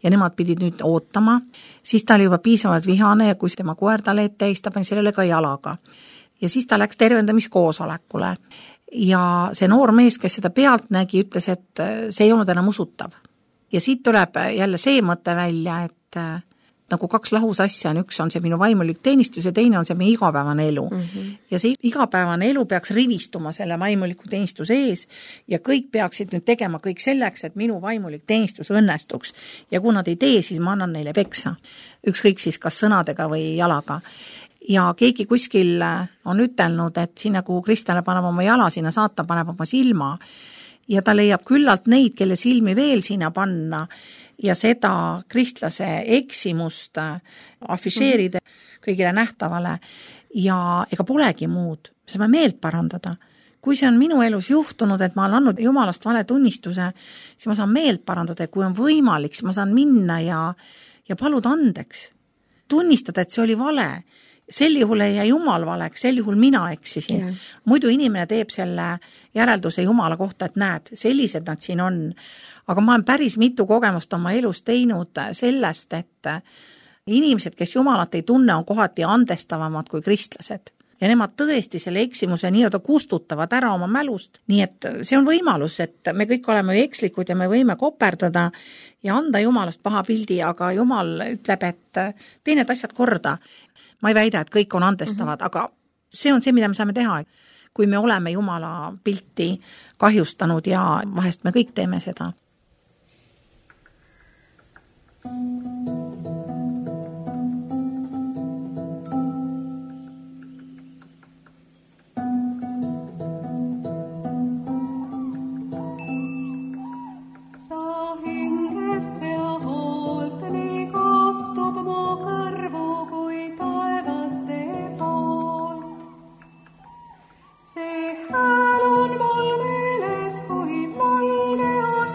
ja nemad pidid nüüd ootama, siis ta oli juba piisavalt vihane ja kui tema koer talle ette eis, ta pani sellele ka jalaga. Ja siis ta läks tervendamiskoosolekule ja see noor mees, kes seda pealt nägi, ütles, et see ei olnud enam usutav. Ja siit tuleb jälle see mõte välja, et nagu kaks lahus asja on, üks on see minu vaimulik teenistus ja teine on see meie igapäevane elu. Ja see igapäevane elu peaks rivistuma selle vaimuliku teenistuse ees ja kõik peaksid nüüd tegema kõik selleks, et minu vaimulik teenistus õnnestuks. Ja kui nad ei tee, siis ma annan neile peksa. Ükskõik siis kas sõnadega või jalaga. Ja keegi kuskil on ütelnud, et sinna, kuhu kristlane paneb oma jala, sinna saatan paneb oma silma ja ta leiab küllalt neid, kelle silmi veel sinna panna ja seda kristlase eksimust afišeerida kõigile nähtavale ja ega polegi muud. Me saame meelt parandada. Kui see on minu elus juhtunud, et ma olen andnud Jumalast vale tunnistuse, siis ma saan meelt parandada ja kui on võimalik, siis ma saan minna ja paluda andeks. Tunnistada, et see oli vale. Sel juhul ei jää Jumal valeks, sel juhul mina eksisin. Yeah. Muidu inimene teeb selle järelduse Jumala kohta, et näed, sellised nad siin on. Aga ma olen päris mitu kogemust oma elus teinud sellest, et inimesed, kes Jumalat ei tunne, on kohati andestavamad kui kristlased. Ja nemad tõesti selle eksimuse nii-öelda kustutavad ära oma mälust. Nii et see on võimalus, et me kõik oleme ekslikud ja me võime koperdada ja anda Jumalast paha pildi, aga Jumal ütleb, et tee need asjad korda. Ma ei väida, et kõik on andestavad, aga see on see, mida me saame teha, kui me oleme Jumala pilti kahjustanud ja vahest me kõik teeme seda. See hääl on mul meeles, kui naine on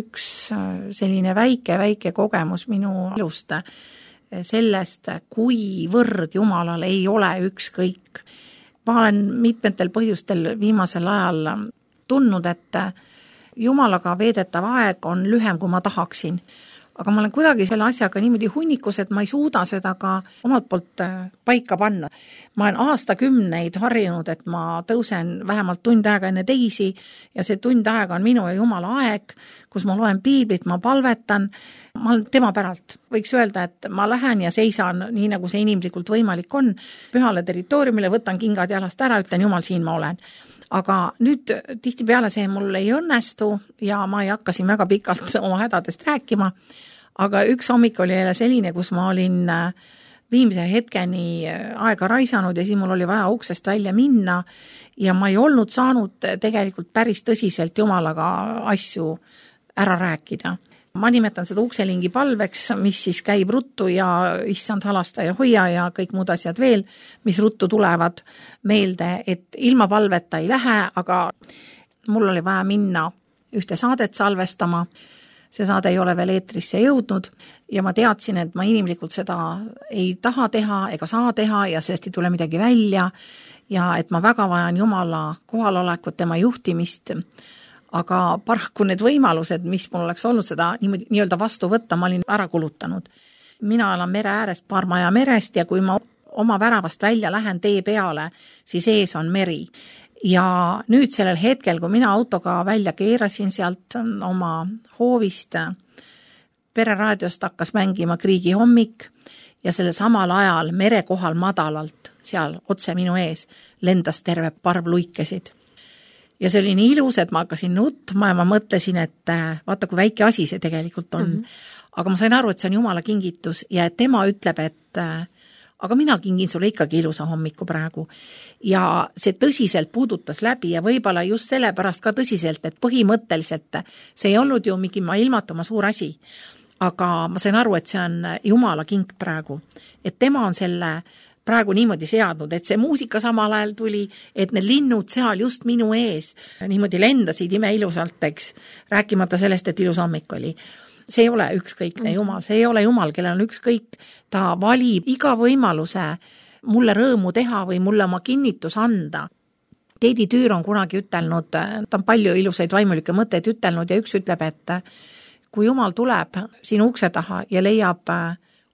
üks selline väike kogemus minu elust sellest, kuivõrd Jumalal ei ole ükskõik. Ma olen mitmetel põhjustel viimasel ajal tundnud, et Jumalaga veedetav aeg on lühem, kui ma tahaksin. Aga ma olen kuidagi selle asjaga niimoodi hunnikus, et ma ei suuda seda ka omalt poolt paika panna. Ma olen aastakümneid harjunud, et ma tõusen vähemalt tund aega enne teisi ja see tund aega on minu ja Jumala aeg, kus ma loen piiblit, ma palvetan, ma olen tema päralt. Võiks öelda, et ma lähen ja seisan nii, nagu see inimlikult võimalik on, pühale territooriumile, võtan kingad jalast ära, ütlen Jumal, siin ma olen. Aga nüüd tihtipeale see mul ei õnnestu ja ma ei hakka siin väga pikalt oma hädadest rääkima, aga üks hommik oli jälle selline, kus ma olin viimse hetkeni aega raisanud ja siis mul oli vaja uksest välja minna ja ma ei olnud saanud tegelikult päris tõsiselt Jumalaga asju ära rääkida. Ma nimetan seda ukselingi palveks, mis siis käib ruttu ja issand halasta ja hoia ja kõik muud asjad veel, mis ruttu tulevad meelde, et ilma palveta ei lähe, aga mul oli vaja minna ühte saadet salvestama. See saade ei ole veel eetrisse jõudnud ja ma teadsin, et ma inimlikult seda ei taha teha ega saa teha ja sellest ei tule midagi välja ja et ma väga vajan Jumala kohalolekut, tema juhtimist, aga paraku need võimalused, mis mul oleks olnud seda nii-öelda vastu võtta, ma olin ära kulutanud. Mina elan mere äärest, paar maja merest ja kui ma oma väravast välja lähen tee peale, siis ees on meri. Ja nüüd sellel hetkel, kui mina autoga välja keerasin sealt oma hoovist, pereraadiost hakkas mängima Kriigi hommik ja selle samal ajal mere kohal madalalt, seal otse minu ees, lendas terve parv luikesid. Ja see oli nii ilus, et ma hakkasin nutma ja ma mõtlesin, et vaata, kui väike asi see tegelikult on. Aga ma sain aru, et see on Jumala kingitus ja et tema ütleb, et aga mina kingin sulle ikkagi ilusa hommiku praegu. Ja see tõsiselt puudutas läbi ja võib-olla just sellepärast ka tõsiselt, et põhimõtteliselt see ei olnud ju mingi ilmatuma suur asi. Aga ma sain aru, et see on Jumala king praegu. Et tema on selle praegu niimoodi seadnud, et see muusika samal ajal tuli, et need linnud seal just minu ees niimoodi lendasid ime ilusalt, eks, rääkimata sellest, et ilus hommik oli. See ei ole ükskõikne Jumal, see ei ole Jumal, kellel on ükskõik, ta valib iga võimaluse mulle rõõmu teha või mulle oma kinnitus anda. Teedi Tüür on kunagi ütelnud, ta on palju ilusaid vaimulikke mõtteid ütelnud ja üks ütleb, et kui Jumal tuleb sinu ukse taha ja leiab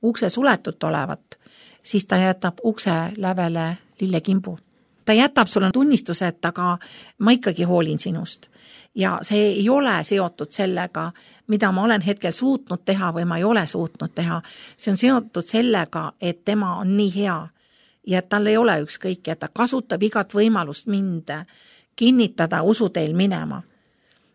ukse suletut olevat, siis ta jätab ukse lävele lillekimbu. ta jätab sulle tunnistuse, et aga ma ikkagi hoolin sinust. Ja see ei ole seotud sellega, mida ma olen hetkel suutnud teha või ma ei ole suutnud teha. See on seotud sellega, et tema on nii hea ja et tal ei ole ükskõik ja ta kasutab igat võimalust mind kinnitada usuteel minema.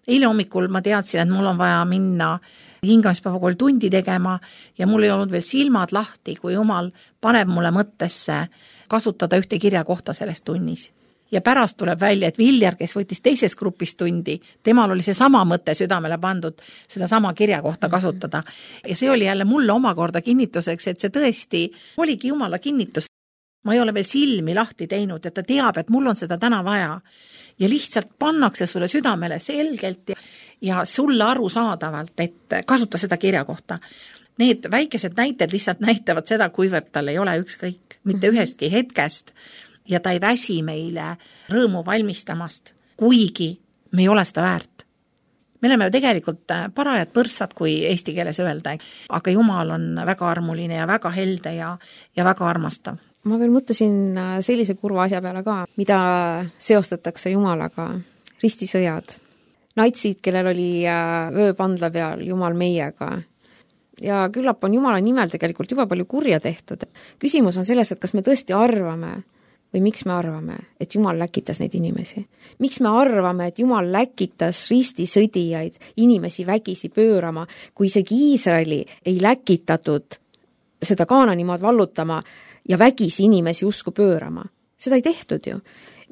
Eile hommikul ma teadsin, et mul on vaja minna hingamispäevakool tundi tegema ja mul ei olnud veel silmad lahti, kui Jumal paneb mulle mõttesse kasutada ühte kirjakohta selles tunnis. Ja pärast tuleb välja, et Viljar, kes võttis teises grupis tundi, temal oli see sama mõte südamele pandud, seda sama kirjakohta kasutada. Ja see oli jälle mulle omakorda kinnituseks, et see tõesti oligi Jumala kinnitus. Ma ei ole veel silmi lahti teinud, et ta teab, et mul on seda täna vaja. Ja lihtsalt pannakse sulle südamele selgelt ja sulle arusaadavalt, et kasuta seda kirjakohta. Need väikesed näited lihtsalt näitavad seda, kuivõrd tal ei ole ükskõik, mitte ühestki hetkest ja ta ei väsi meile rõõmu valmistamast, kuigi me ei ole seda väärt. Me oleme tegelikult parajad põrssad, kui eesti keeles öelda, aga Jumal on väga armuline ja väga helde ja väga armastav. Ma veel mõtlesin sellise kurva asja peale ka, mida seostatakse Jumalaga, ristisõjad. Natsid, kellel oli vööpandla peal Jumal meiega. Ja küllap on Jumala nimel tegelikult juba palju kurja tehtud. Küsimus on selles, et kas me tõesti arvame või miks me arvame, et Jumal läkitas neid inimesi. Miks me arvame, et Jumal läkitas ristisõdijaid inimesi vägisi pöörama, kui isegi Iisraeli ei läkitatud seda Kaananimaad vallutama ja vägisi inimesi usku pöörama. Seda ei tehtud ju.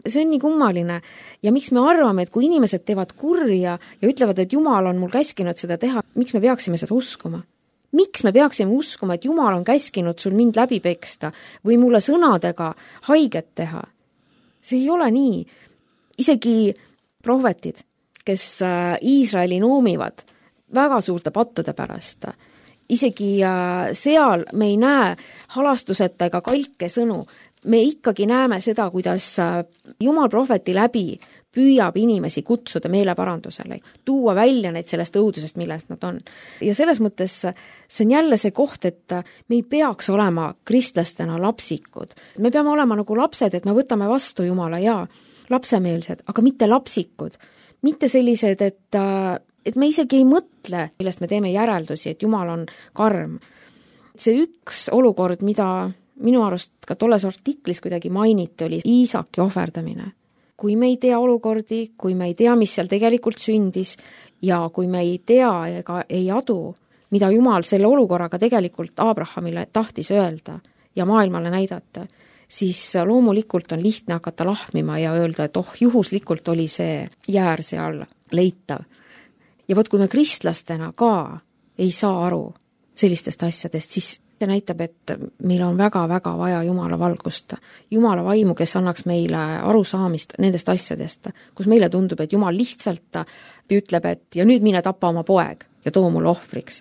See on nii kummaline. Ja miks me arvame, et kui inimesed teevad kurja ja ütlevad, et Jumal on mul käskinud seda teha, miks me peaksime seda uskuma? Miks me peaksime uskuma, et Jumal on käskinud sul mind läbi peksta või mulle sõnadega haiget teha? See ei ole nii. Isegi prohvetid, kes Iisraeli noomivad väga suurte pattude pärast, isegi seal me ei näe halastuseta ega kalke sõnu. Me ikkagi näeme seda, kuidas Jumal prohveti läbi püüab inimesi kutsuda meeleparandusele, tuua välja neid sellest õudusest, millest nad on. Ja selles mõttes see on jälle see koht, et me ei peaks olema kristlastena lapsikud. Me peame olema nagu lapsed, et me võtame vastu Jumala ja lapsemeelsed, aga mitte lapsikud. Mitte sellised, et me isegi ei mõtle, millest me teeme järeldusi, et Jumal on karm. See üks olukord, mida minu arust ka tolles artiklis kuidagi mainiti, oli Iisaki ohverdamine. Kui me ei tea olukordi, kui me ei tea, mis seal tegelikult sündis ja kui me ei tea ega ei adu, mida Jumal selle olukorraga tegelikult Abrahamile tahtis öelda ja maailmale näidata, siis loomulikult on lihtne hakata lahmima ja öelda, et juhuslikult oli see jäär seal leitav. Ja võt, kui me kristlastena ka ei saa aru sellistest asjadest, siis see näitab, et meil on väga-väga vaja Jumala valgust. Jumala vaimu, kes annaks meile arusaamist nendest asjadest, kus meile tundub, et Jumal lihtsalt ütleb, et ja nüüd mine tapa oma poeg ja too mulle ohvriks.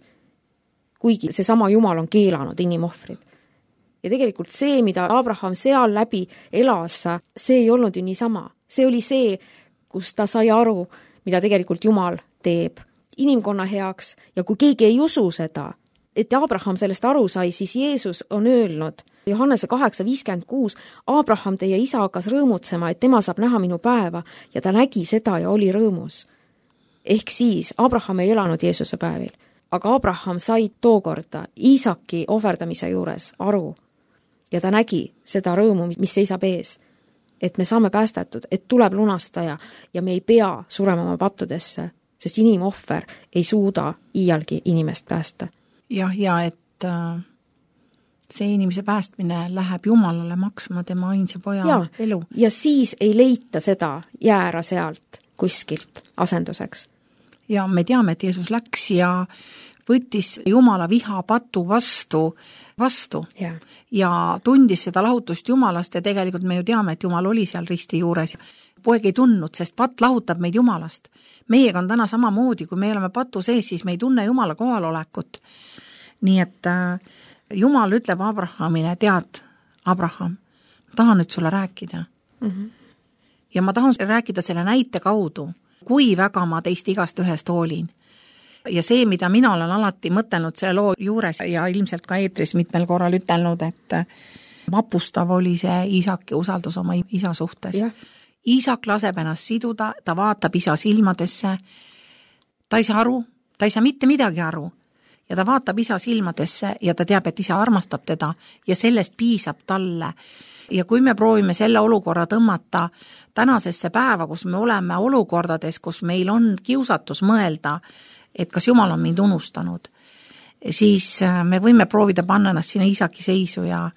Kuigi see sama Jumal on keelanud inimohvrid. Ja tegelikult see, mida Abraham seal läbi elas, see ei olnud ju niisama. See oli see, kus ta sai aru, mida tegelikult Jumal teeb inimkonna heaks ja kui keegi ei usu seda, et Abraham sellest aru sai, siis Jeesus on öelnud Johannese 8:56, Abraham, teie isa hakkas rõõmutsema, et tema saab näha minu päeva ja ta nägi seda ja oli rõõmus. Ehk siis Abraham ei elanud Jeesuse päevil, aga Abraham sai tookorda Iisaki ohverdamise juures aru ja ta nägi seda rõõmu, mis seisab ees, et me saame päästetud, et tuleb lunastaja ja me ei pea surema oma pattudesse, sest inimohver ei suuda iialgi inimest päästa. Ja et see inimese päästmine läheb Jumalale maksma tema ainsa poja elu. Ja siis ei leita seda jäära sealt kuskilt asenduseks. Ja me teame, et Jeesus läks ja võttis Jumala viha patu vastu ja tundis seda lahutust Jumalast ja tegelikult me ju teame, et Jumal oli seal risti juures. Poeg ei tundnud, sest patt lahutab meid Jumalast. Meiega on täna samamoodi, kui me oleme patu sees, siis me ei tunne Jumala kohalolekut. Nii et Jumal ütleb Abrahamile, tead, Abraham, ma tahan nüüd sulle rääkida. Ja ma tahan rääkida selle näite kaudu, kui väga ma teist igast ühest hoolin. Ja see, mida mina olen alati mõtelnud selle loo juures ja ilmselt ka eetris mitmel korral ütelnud, et vapustav oli see Iisaki usaldus oma isa suhtes. Iisak laseb ennast siduda, ta vaatab isa silmadesse, ta ei saa aru, ta ei saa mitte midagi aru ja ta vaatab isa silmadesse ja ta teab, et isa armastab teda ja sellest piisab talle. Ja kui me proovime selle olukorra tõmmata tänasesse päeva, kus me oleme olukordades, kus meil on kiusatus mõelda, et kas Jumal on mind unustanud, siis me võime proovida panna ennast sinna Iisaki seisu ja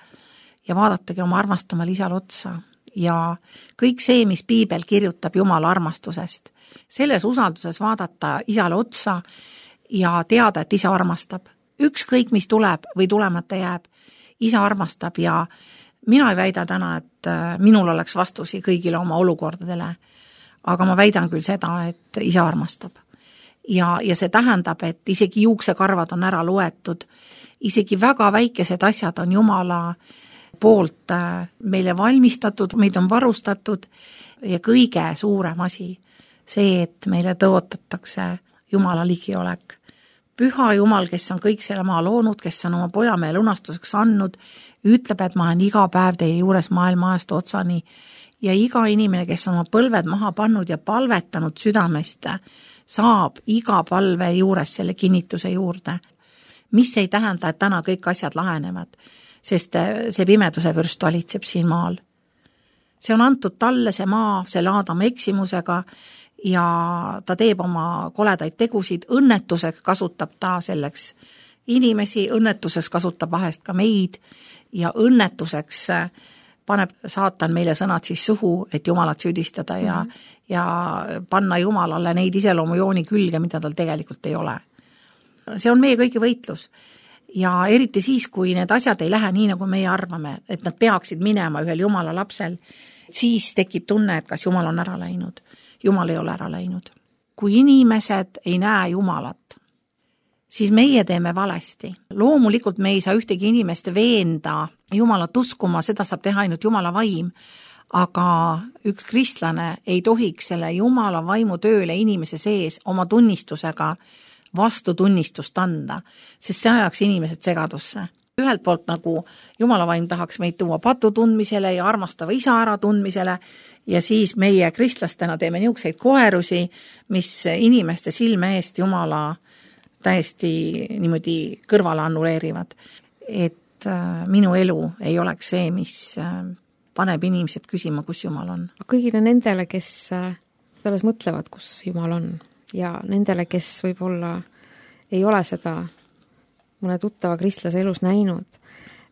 vaadatagi oma armastamal isal otsa. Ja kõik see, mis piibel kirjutab Jumala armastusest, selles usalduses vaadata isale otsa ja teada, et isa armastab. Ükskõik, mis tuleb või tulemata jääb, isa armastab ja mina ei väida täna, et minul oleks vastusi kõigile oma olukordadele, aga ma väidan küll seda, et isa armastab. Ja see tähendab, et isegi juuksekarvad on ära loetud, isegi väga väikesed asjad on Jumala poolt meile valmistatud, meid on varustatud ja kõige suurem asi, see, et meile tõotatakse Jumala ligiolek. Püha Jumal, kes on kõik selle maa loonud, kes on oma poja meie lunastuseks andnud, ütleb, et ma olen iga päev teie juures maailma ajast otsani ja iga inimene, kes on oma põlved maha pannud ja palvetanud südamest, saab iga palve juures selle kinnituse juurde, mis ei tähenda, et täna kõik asjad lahenevad, sest see pimeduse vürst valitseb siin maal. See on antud talle see maa, selle Aadama eksimusega ja ta teeb oma koledaid tegusid, õnnetuseks kasutab ta selleks inimesi, õnnetuseks kasutab vahest ka meid ja õnnetuseks paneb saatan meile sõnad siis suhu, et Jumalat süüdistada ja panna Jumalale neid iseloomujooni külge, mida tal tegelikult ei ole. See on meie kõigi võitlus ja eriti siis, kui need asjad ei lähe nii, nagu meie arvame, et nad peaksid minema ühel Jumala lapsel, siis tekib tunne, et kas Jumal on ära läinud. Jumal ei ole ära läinud. Kui inimesed ei näe Jumalat, siis meie teeme valesti. Loomulikult me ei saa ühtegi inimest veenda Jumalat uskuma, seda saab teha ainult Jumala vaim, aga üks kristlane ei tohiks selle Jumala vaimu tööle inimese sees oma tunnistusega vastutunnistust anda, sest see ajaks inimesed segadusse. Ühelt poolt nagu Jumala vaim tahaks meid tuua patutundmisele ja armastava isa ära tundmisele ja siis meie kristlastena teeme niisuguseid koerusi, mis inimeste silme eest Jumala täiesti niimoodi kõrvale annuleerivad. Et minu elu ei oleks see, mis paneb inimesed küsima, kus Jumal on. Kõigile nendele, kes selles mõtlevad, kus Jumal on ja nendele, kes võib-olla ei ole seda mõne tuttava kristlase elus näinud.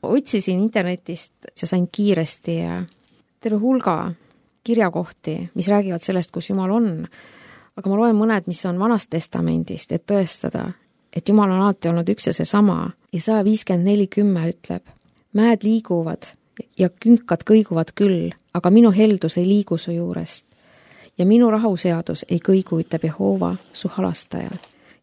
Otsisin internetist ja sain kiiresti terve hulga kirjakohti, mis räägivad sellest, kus Jumal on, aga ma loen mõned, mis on Vanast Testamendist, et tõestada, et Jumal on alati olnud üks ja seesama. Ja 154:10 ütleb, mäed liiguvad ja künkad kõiguvad küll, aga minu heldus ei liigu su juurest ja minu rahuseadus ei kõigu, ütleb Jehova, su halastaja.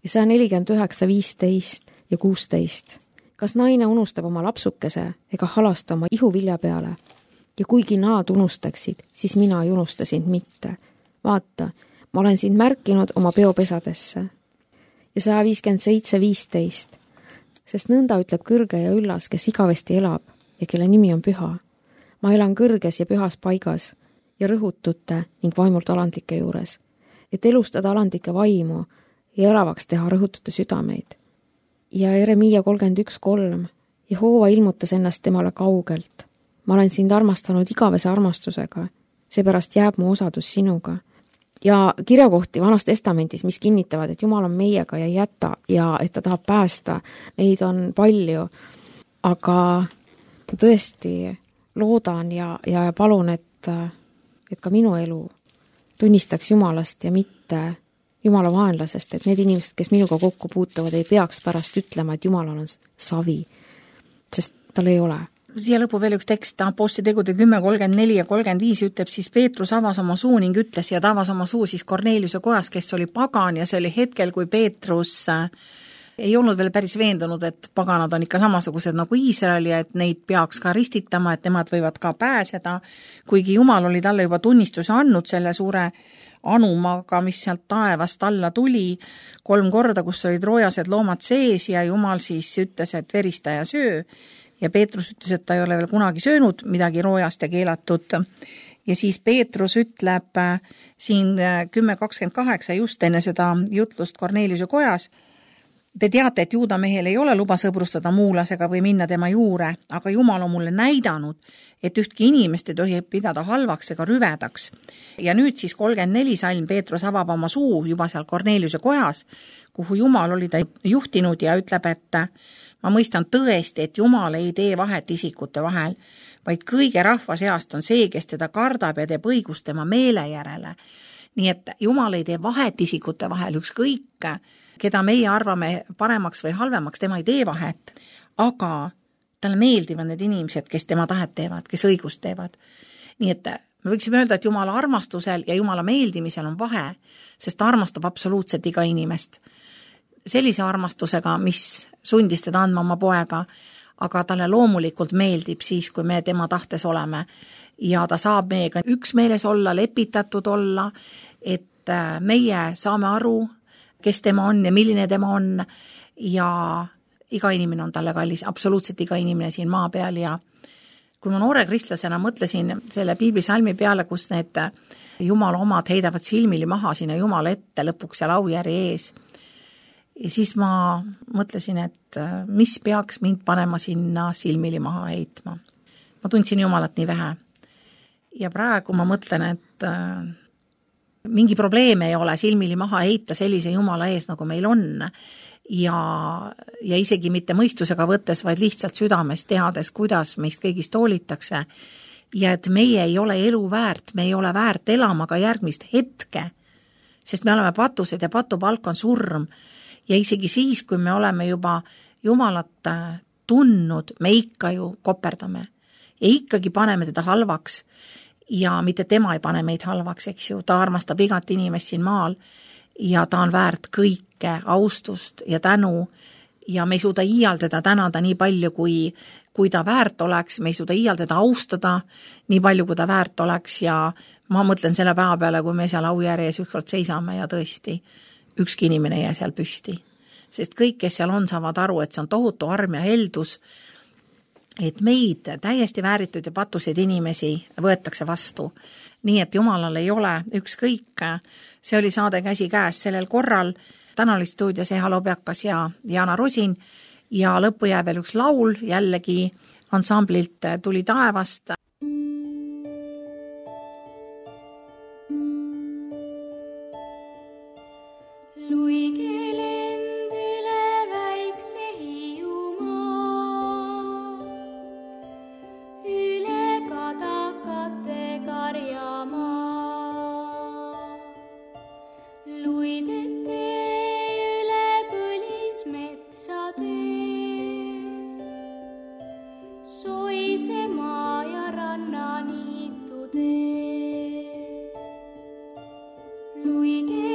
Ja 149:15 ja 16. Kas naine unustab oma lapsukese ega halasta oma ihuvilja peale? Ja kuigi nad unustaksid, siis mina ei unusta sind mitte. Vaata, ma olen sind märkinud oma peopesadesse. Ja 157:15. Sest nõnda ütleb kõrge ja üllas, kes igavesti elab ja kelle nimi on püha. Ma elan kõrges ja pühas paigas ja rõhutute ning vaimult alandlike juures, et elustada alandlike vaimu ja elavaks teha rõhutute südameid. Ja Jeremiia 31:3. Jehova ilmutas ennast temale kaugelt. Ma olen sind armastanud igavese armastusega, seepärast jääb mu osadus sinuga. Ja kirjakohti Vanas Testamendis, mis kinnitavad, et Jumal on meiega ja ei jäta ja et ta tahab päästa, neid on palju. Aga tõesti loodan ja palun, et ka minu elu tunnistaks Jumalast ja mitte Jumala vaenlasest, et need inimesed, kes minuga kokku puutuvad, ei peaks pärast ütlema, et Jumalal on savi, sest tal ei ole. Siia lõpu veel üks tekst, Apostlitegude 10:34 ja 35 ütleb, siis Peetrus avas oma suu ning ütles ja ta avas oma suu siis Korneliuse kojas, kes oli pagan ja see oli hetkel, kui Peetrus ei olnud veel päris veendunud, et paganad on ikka samasugused nagu Iisrael ja et neid peaks ka ristitama, et nemad võivad ka pääseda, kuigi Jumal oli talle juba tunnistuse andnud selle suure anumaga, mis sealt taevast alla tuli 3 korda, kus olid roojased loomad sees ja Jumal siis ütles, et verista ja söö ja Peetrus ütles, et ta ei ole veel kunagi söönud midagi roojast ja keelatud. Ja siis Peetrus ütleb siin 10.28 just enne seda jutlust Korneliuse kojas, te teate, et juuda mehel ei ole luba sõbrustada muulasega või minna tema juure, aga Jumal on mulle näidanud, et ühtki inimest ei tohi pidada halvaks ega rüvedaks. Ja nüüd siis 34 salm Peetrus avab oma suu juba seal Korneliuse kojas, kuhu Jumal oli ta juhtinud ja ütleb, et ma mõistan tõesti, et Jumal ei tee vahet isikute vahel, vaid kõige rahva seast on see, kes teda kardab ja teeb õigust tema meele järele. Nii et Jumal ei tee vahet isikute vahel, ükskõik, keda meie arvame paremaks või halvemaks, tema ei tee vahet, aga talle meeldivad need inimesed, kes tema tahet teevad, kes õigust teevad. Nii et me võiksime öelda, et Jumala armastusel ja Jumala meeldimisel on vahe, sest ta armastab absoluutselt iga inimest. Sellise armastusega, mis sundis teda andma oma poega, aga talle loomulikult meeldib siis, kui me tema tahtes oleme ja ta saab meiega üksmeeles olla, lepitatud olla, et meie saame aru, kes tema on ja milline tema on ja iga inimene on talle kallis, absoluutselt iga inimene siin maa peal ja kui ma noore kristlasena mõtlesin selle piiblisalmi peale, kus need Jumala omad heidavad silmili maha sinna Jumala ette lõpuks seal aujärje ees, ja siis ma mõtlesin, et mis peaks mind panema sinna silmili maha heitma. Ma tundsin Jumalat nii vähe ja praegu ma mõtlen, et mingi probleem ei ole silmili maha heita sellise Jumala ees, nagu meil on ja isegi mitte mõistusega võttes, vaid lihtsalt südames teades, kuidas meist kõigist hoolitakse ja et meie ei ole elu väärt, me ei ole väärt elama ka järgmist hetke, sest me oleme patused ja patupalk on surm ja isegi siis, kui me oleme juba Jumalat tundnud, me ikka ju koperdame ja ikkagi paneme teda halvaks ja mitte tema ei pane meid halvaks, eks ju, ta armastab igat inimest siin maal ja ta on väärt kõike austust ja tänu ja me ei suuda iial teda tänada nii palju, kui ta väärt oleks, me ei suuda iial teda austada nii palju, kui ta väärt oleks ja ma mõtlen selle päeva peale, kui me seal aujärjes ükskord seisame ja tõesti ükski inimene ei jää seal püsti. Sest kõik, kes seal on, saavad aru, et see on tohutu arm ja heldus, et meid täiesti vääritud ja patuseid inimesi võetakse vastu. Nii et Jumalal ei ole ükskõik. See oli saade Käsi käes sellel korral. Täna oli stuudios Eha Lobjakas ja Jana Rosin ja lõppu jääb veel üks laul jällegi ansamblilt Tuli taevast. Luigi